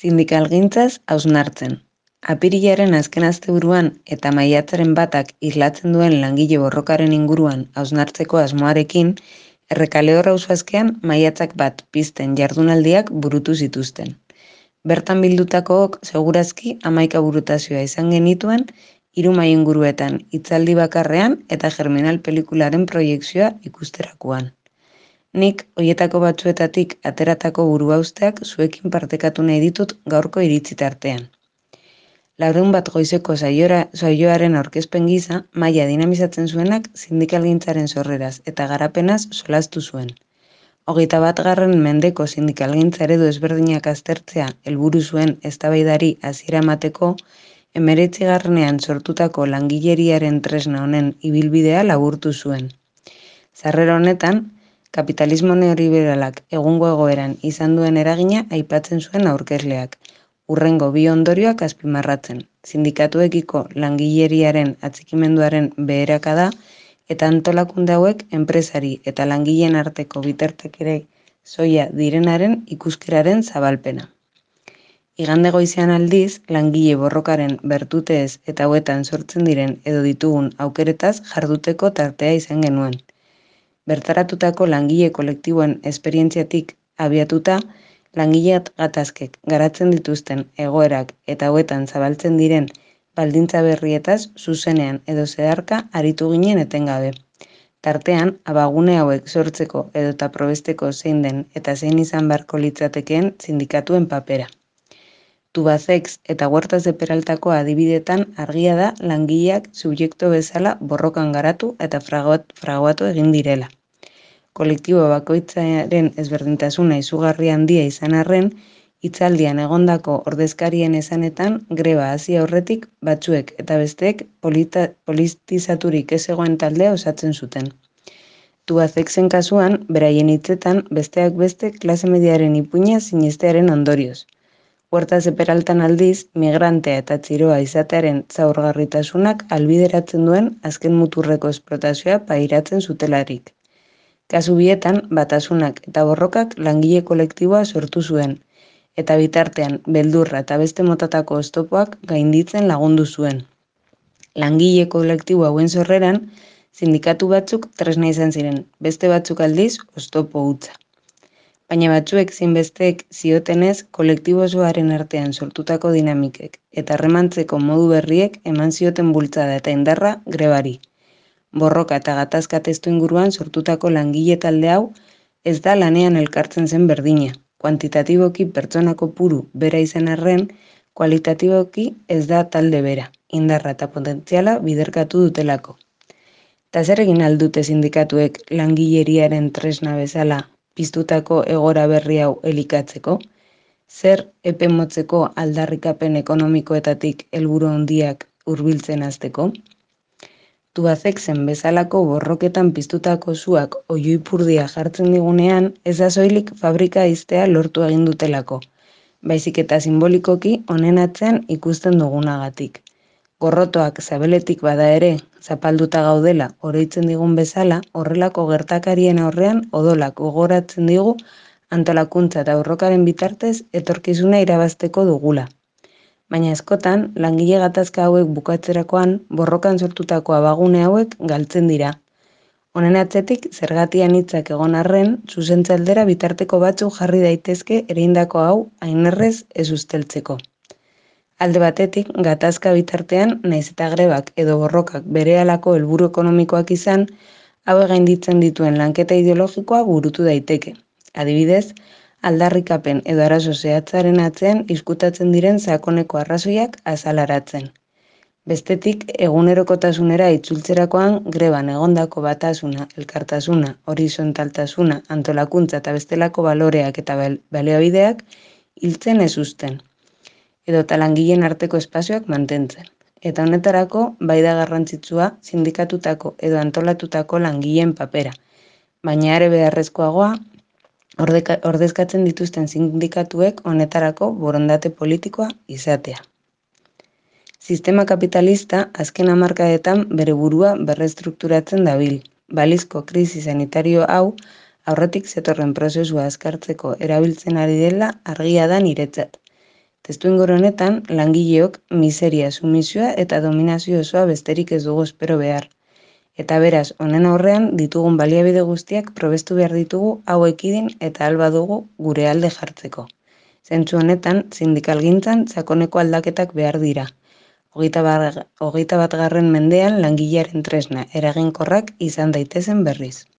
Sindikalgintzaz hausnartzen. Apirilaren azken asteburuan eta maiatzaren 1ak islatzen duen langile borrokaren inguruan hausnartzeko asmoarekin, Errekalehor auzoazkean maiatzak 1 pizten jardunaldiak burutu zituzten. Bertan bildutakook segurazki 11 burutazioa izan genituen, 3 mahai inguruetan hitzaldi bakarrean eta Germinal pelikularen proiekzioa ikusterakoan. Nik hoietako batzuetatik ateratako buruhausteak zuekin partekatu nahi ditut gaurko iritzi tartean. 100 goizeko saioaren aurkezpen gisa, mahaia dinamizatzen zuenak sindikalgintzaren sorreraz eta garapenaz solastu zuen. 21. mendeko sindikalgintza eredu ezberdinak aztertzea helburu zuen eztabaidari hasiera emateko, 19. sortutako langileriaren tresna honen ibilbidea laburtu zuen. Sarrera honetan, kapitalismo neoliberalak egungo egoeran izan duen eragina aipatzen zuen aurkezleak, hurrengo 2 ondorioak azpimarratzen, sindikatuekiko langileriaren atxikimenduaren beherakada eta antolakunde hauek enpresari eta langileen arteko bitartekari soila direnaren ikuskeraren zabalpena. Igande goizean aldiz, langile borrokaren bertuteez eta hauetan sortzen diren edo ditugun aukeretaz jarduteko tartea izan genuen. Bertaratutako langile kolektiboen esperientziatik abiatuta, langile gatazkek garatzen dituzten egoerak eta hauetan zabaltzen diren baldintza berrietaz zuzenean edo zeharka aritu ginen etengabe. Tartean, abagune hauek sortzeko edota probesteko zein den eta zein izan beharko litzatekeen sindikatuen papera. Tubacex eta Huertas de Peraltako adibidetan argia da langileak subjektu bezala borrokan garatu eta fraguatu egin direla. Kolektibo bakoitzaren ezberdintasuna izugarri handia izan arren, hitzaldian egondako ordezkarien esanetan greba hasi aurretik batzuek eta besteek politizaturik ez zegoen taldea osatzen zuten. Tubacexen kasuan, beraien hitzetan besteak beste klase mediaren ipuina sinestearen ondorioz. Huertas de Peraltan aldiz, migrantea eta txiroa izatearen zaurgarritasunak albideratzen duen azken muturreko esplotazioa pairatzen zutelarik. Kasu bietan, batasunak eta borrokak langile kolektiboa sortu zuen, eta bitartean beldurra eta beste motatako oztopoak gainditzen lagundu zuen. Langile kolektibo hauen sorreran, sindikatu batzuk tresna izan ziren, beste batzuk aldiz oztopo hutsa. Baina batzuek zinbesteek ziotenez kolektibo osoaren artean sortutako dinamikek eta harremantzeko modu berriek eman zioten bultzada eta indarra grebari. Borroka eta gatazka testu inguruan sortutako langile talde hau ez da lanean elkartzen zen berdina. Kuantitatiboki pertsona kopuru bera izan arren, kualitatiboki ez da talde bera, indarra eta potentziala biderkatu dutelako. Eta zer egin aldute sindikatuek langileriaren tresna bezala piztutako egora berri hau elikatzeko? Zer epe motzeko aldarrikapen ekonomikoetatik helburu handiak hurbiltzen hasteko? Tubacexen bezalako borroketan piztutako suak oihuipurdia jartzen digunean, ez da soilik fabrika ixtea lortu egin dutelako, baizik eta simbolikoki honen atzean ikusten dugunagatik. Gorrotoak zabeletik bada ere, zapalduta gaudela oroitzen digun bezala, horrelako gertakarien aurrean odolak gogoratzen digu antolakuntza eta borrokaren bitartez etorkizuna irabazteko dugula. Baina askotan, langile gatazka hauek bukatzerakoan, borrokan sortutako abagune hauek galtzen dira. Honen atzetik, zergatian hitzak egon arren, zuzentze aldera bitarteko batzuk jarri daitezke ereindako hau hainerrez ez usteltzeko. Alde batetik, gatazka bitartean, nahiz eta grebak edo borrokak berehalako helburu ekonomikoak izan, hauek gainditzen dituen lanketa ideologikoa burutu daiteke. Adibidez, aldarrikapen edo arazo zehatzaren atzean izkutatzen diren sakoneko arrazoiak azalaratzen. Bestetik, egunerokotasunera itzultzerakoan greban egondako batasuna, elkartasuna, horizontaltasuna, antolakuntza eta bestelako baloreak eta baliabideak hiltzen ez uzten, edota langileen arteko espazioak mantentzen. Eta honetarako, bai da garrantzitsua sindikatutako edo antolatutako langileen papera, baina are beharrezkoagoa, ordezkatzen dituzten sindikatuek honetarako borondate politikoa izatea. Sistema kapitalista azken hamarkadetan bere burua berrestrukturatzen dabil. Balizko krisi sanitario hau aurretik zetorren prozesua azkartzeko erabiltzen ari dela argia da niretzat. Testuinguru honetan, langileok miseria, sumisioa eta dominazio osoa besterik ez dugu espero behar. Eta beraz, honen aurrean ditugun baliabide guztiak probestu behar ditugu hau ekidin eta alba dugu gure alde jartzeko. Zentzu honetan, sindikalgintzan sakoneko aldaketak behar dira. 21. mendean langilearen tresna eraginkorrak izan daitezen berriz.